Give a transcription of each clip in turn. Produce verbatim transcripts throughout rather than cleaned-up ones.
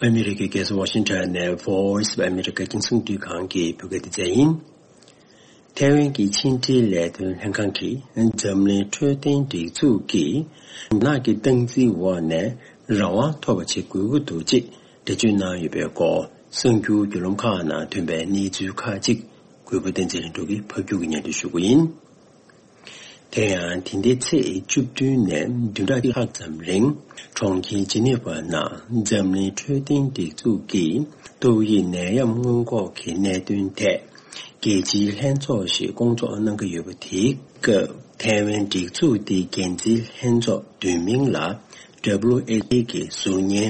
ཨ་མི་རི་ཀའི་རྒྱལ་ས་ཝ་ཤིང་ཊོན་ནས་Voice of America རྒྱང་སྲིང་སྡུད་ཁང་གི་བོད་སྐད་སྡེ་ཚན་ཡིན། ཐའེ་ཝན་གྱི་ཕྱི་འབྲེལ་ལས་དོན་ལྷན་ཁང་གིས་འཛམ་གླིང་འཕྲོད་བསྟེན་སྒྲིག་འཛུགས་ཀྱིས་རྒྱ་ནག་གི་སྟངས་འཛིན་འོག་ནས་རང་དབང་ཐོབ་པ་བྱེད་དགོས་ཀྱི་འདུག་ཅེས་འགྲེལ་བརྗོད་གནང་ཡོད་པའི་སྐོར། གསར་འགྱུར་བརྒྱུད་ལམ་ཁག་ནང་ཐོན་པའི་གནས་ཚུལ་ཁག་ཅིག་གུས་པ་བསྟན་འཛིན་ལྷུན་གྲུབ་ཀྱིས་ཕབ་སྒྱུར་གྱིས་སྙན་སྒྲོན་ཞུ་གི་ཡིན། དེ་ཡང་དེ་ཟླའི་ཚེས་བཅུ་བདུན་ནས་བདུན་ཕྲག་གཅིག་ལྷག་ཙམ་རིང་གྲོང་ཁྱེར་ཇི་ནི་ཝ་ནང་འཛམ་གླིང་འཕྲོད་བསྟེན་སྒྲིག་འཛུགས་ཀྱི་ཏོག་དབྱིབས་ནད་ཡམས་སྔོན་འགོག་གི་གནད་དོན་ཐད་རྒྱལ་སྤྱིའི་ལྷན་ཚོགས་ཤིག་བསྐོང་ཚོགས་གནང་གི་ཡོད་པ། དེའི་སྐབས་ཐའེ་ཝན་སྒྲིག་འཛུགས་དེའི་འགན་འཛིན་ལྷན་ཚོགས་བསྡུས་མིང་ལ་W H A གི་ཟུར་ཉན་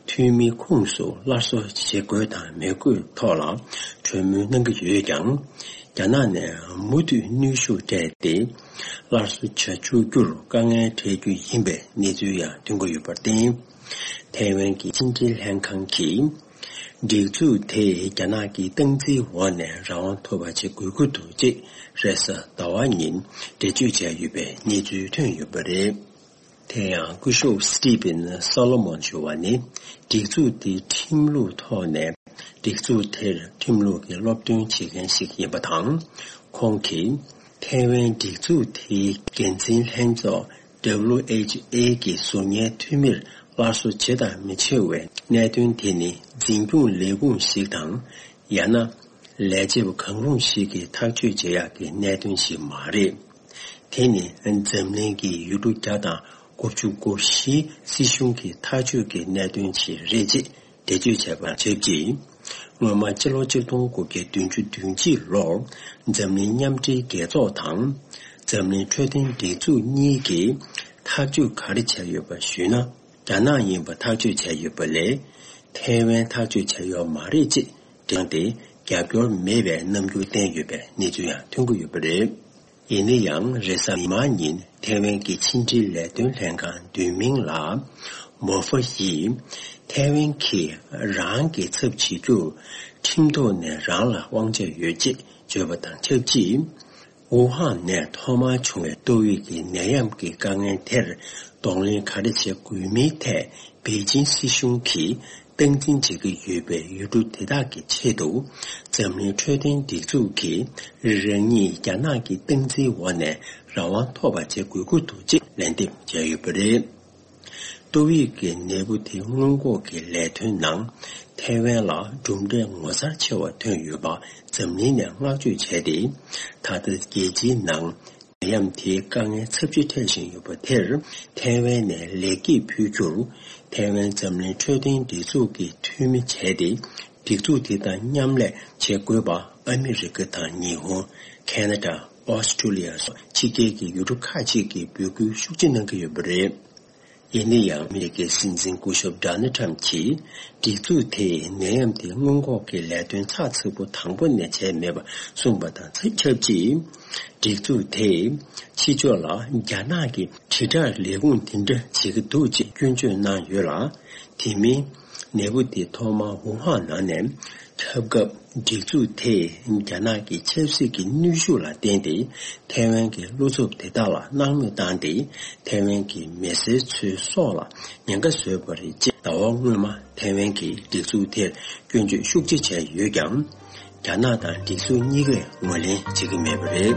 འཐུས་མི་ཁོངས་སུ་སླར་གསོ་བྱེད་དགོས་དང་མི་དགོས་ཐོག་ལ་གྲོས་མོལ་གནང་གི་ཡོད་ཀྱང་། རྒྱ་ནག་ནས་མུ་མཐུད་གནོན་ཤུགས་སྤྲད་དེ་སླར་གསོ་བྱ་བཅུག་རྒྱུར་དཀའ་ངལ་འཕྲད་རྒྱུ་ཡིན་པའི་གནས་ཚུལ་ཡང་ཐོན་གྱི་ཡོད་པར་བརྟེན། ཐའེ་ཝན་གྱི་ཕྱི་འབྲེལ་ལྷན་ཁང་གིས་སྒྲིག་འཛུགས་དེས་རྒྱ་ནག་གི་སྟངས་འཛིན་འོག་ནས་རང་དབང་ཐོབ་པ་བྱེད་དགོས་ཀྱི་འདུག་ཅེས་རེས་གཟའ་ཟླ་བ་ཉིན་འགྲེལ་བརྗོད་བྱས་ཡོད་པའི་གནས་ཚུལ་ཐོན་ཡོད་པ་རེད། དེ་ཡང་སྐུ་ཞབས་Stephen Solomon ཞུ་བ་ནི་སྒྲིག་འཛུགས་དེའི་ཁྲིམས་ལུགས་ཐོག་ནས་སྒྲིག་འཛུགས་དེར་ཁྲིམས་ལུགས་ཀྱི་སློབ་སྟོན་བྱེད་མཁན་ཞིག་ཡིན་པ་དང་། ཁོང་གིས་ཐའེ་ཝན་སྒྲིག་འཛུགས་དེའི་འགན་འཛིན་ལྷན་ཚོགས་W H A གི་ཟུར་ཉན་འཐུས་མིར་སླར་གསོ་བྱེད་དང་མི་བྱེད་པའི་གནད་དོན་དེ་ནི་འཛིན་སྐྱོང་ལས་ཁུངས་ཤིག་དང་། ཡང་ན་ལས་བྱེད་པ་གང་རུང་ཞིག་གིས་ཐག་གཅོད་བྱེད་ཡག་གི་གནད་དོན་ཞིག་མ་རེད། དེ་ནི་འཛམ་གླིང་གི་ཡུལ་གྲུ་བརྒྱ་དང་དགུ་བཅུ་གོ་བཞིའི་སྲིད་གཞུང་གི་ཐག་གཅོད་ཀྱི་གནད་དོན་ཞིག་རེད་ཅེས་འགྲེལ་བརྗོད་བྱས་པ་ཆབས་ཅིག་སྔོན་མ་ཕྱི་ལོ་ཆིག་སྟོང་དགུ་བརྒྱ་བདུན་ཅུ་དོན་གཅིག་ལོར་འཛམ་གླིང་མཉམ་འབྲེལ་རྒྱལ་ཚོགས་དང་འཛམ་གླིང་འཕྲོད་བསྟེན་སྒྲིག་འཛུགས་གཉིས་ཀྱིས་ཐག་གཅོད་ག་རེ་བྱས་ཡོད་པ་ཞུས་ན། རྒྱ་ནག་ཡིན་པ་ཐག་གཅོད་བྱས་ཡོད་པ་ལས། ཐའེ་ཝན་ཐག་གཅོད་བྱས་ཡོད་མ་རེད་ཅེས་བསྒྲགས་ཏེ། རྒྱབ་སྐྱོར་མེད་པའི་རྣམ་འགྱུར་བསྟན་ཡོད་པའི་གནས་ཚུལ་ཡང་ཐོན་གྱི་ཡོད་པ་རེད། ཡིན་ན་ཡང་རེས་གཟའ་མིག་དམར་ཉིན་ཐའེ་ཝན་གྱི་ཕྱི་འབྲེལ་ལས་དོན་ལྷན་ཁང་བསྡུས་མིང་ལ་མོ་ཧྥ་ཡིས་ཐའེ་ཝན་གྱིས་རང་གི་ཚབ་བྱེད་རྒྱུར་ཁྲིམས་ཐོག་ནས་རང་ལ་དབང་ཆ་ཡོད་ཅེས་བརྗོད་པ་དང་ཆབས་ཅིག་ཝུ་ཧན་ནས་ཐོག་མར་བྱུང་བའི་ཏོག་དབྱིབས་ཀྱི་ནད་ཡམས་ཀྱི་དཀའ་ངལ་དེར་གདོང་ལེན་ག་རེ་བྱེད་དགོས་མིན་ཐད་པེ་ཅིན་སྲིད་གཞུང་གིས་སྟངས་འཛིན་བྱེད་ཀྱི་ཡོད་པའི་ཡུལ་གྲུ་དེ་དག་གི་ཆེད་དུ། འཛམ་གླིང་འཕྲོད་བསྟེན་སྒྲིག་འཛུགས་ཀྱིས་རང་ཉིད་རྒྱ་ནག་གི་སྟངས་འཛིན་འོག་ནས་རང་དབང་ཐོབ་པ་བྱེད་དགོས་ཀྱི་འདུག་ཅེས་ལན་འདེབས་བྱས་ཡོད་པ་རེད། ཏོག་དབྱིབས་ཀྱི་ནད་འབུ་དེ་སྔོན་འགོག་གི་ལས་དོན་ནང་ཐའེ་ཝན་ལ་གྲུབ་འབྲས་ངོ་མཚར་ཆེ་བ་ཐོན་ཡོད་པ་འཛམ་གླིང་ནས་བསྔགས་བརྗོད་བྱས་ཏེ། ད་ལྟ་རྒྱལ་སྤྱིའི་ནང་ནད་ཡམས་དེའི་དཀའ་ངལ་ཚབས་ཆེ་འཕྲད་བཞིན་ཡོད་པ་དེར་ཐའེ་ཝན་ནས་ལེགས་སྐྱེས་ཕུལ་རྒྱུར། ཐའེ་ཝན་འཛམ་གླིང་འཕྲོད་བསྟེན་སྒྲིག་འཛུགས་ཀྱི་འཐུས་མི་བྱས་ཏེ། སྒྲིག་འཛུགས་དེ་དང་མཉམ་ལས་བྱེད་དགོས་པ་ཨ་མི་རི་ཀ་དང་ཉི་ཧོང་། ཁེ་ན་ཌ། ཨོ་སི་ཀྲུ་ལི་ཡ་སོགས་ཕྱི་རྒྱལ་གྱི་ཡུལ་གྲུ་ཁག་ཅིག་གིས་འབོད་སྐུལ་ཤུགས་ཆེ་གནང་གི་ཡོད་པ་རེད། ཡིན་ན་ཡང་། ཨ་མི་རི་ཀའི་སྲིད་འཛིན་སྐུ་ཞབས་ཌོ་ནལ་ཊམ་གྱིས། སྒྲིག་འཛུགས་དེས་ནད་ཡམས་དེ་སྔོན་འགོག་གི་ལས་དོན་ཚགས་ཚུད་པོ་དང་པོ་ནས་བྱས་མེད་པ་གསུངས་པ་དང་ཆབས་ཅིག་སྒྲིག་འཛུགས་དེས། ཕྱི་ཕྱོགས་ལ་རྒྱ་ནག་གི་དྲིལ་བསྒྲགས་ལས་ཁུངས་འདི་འདྲ་བྱེད་ཀྱི་འདུག་ཅེས་སྐྱོན་བརྗོད་གནང་ཡོད་ལ། དེ་མིན། ནད་འབུ་དེ་ཐོག་མར་ཝུ་ཧན་ནང་ནས་ཁྱབ་སྐབས། སྒྲིག་འཛུགས་དེས་རྒྱ་ནག་གི་ཆབ་སྲིད་ཀྱི་གནོན་ཤུགས་ལ་བརྟེན་ཏེ། ཐའེ་ཝན་གྱི་བློ་འཚབ་དེ་དག་ལ་སྣང་མེད་བཏང་སྟེ། ཐའེ་ཝན་གྱི་མི་སེར་ཚོའི་སྲོག་ལ་ཉེན་ཁ་བཟོས་པ་རེད་ཅེས། ཟླ་བ་སྔོན་མ་ཐའེ་ཝན་གྱིས་སྒྲིག་འཛུགས་དེར་སྐྱོན་བརྗོད་ཤུགས་ཆེ་བྱས་ཡོད་ཀྱང་། རྒྱ་ནག་དང་སྒྲིག་འཛུགས་གཉིས་ཀས་ངོས་ལེན་བྱེད་ཀྱི་མེད་པ་རེད།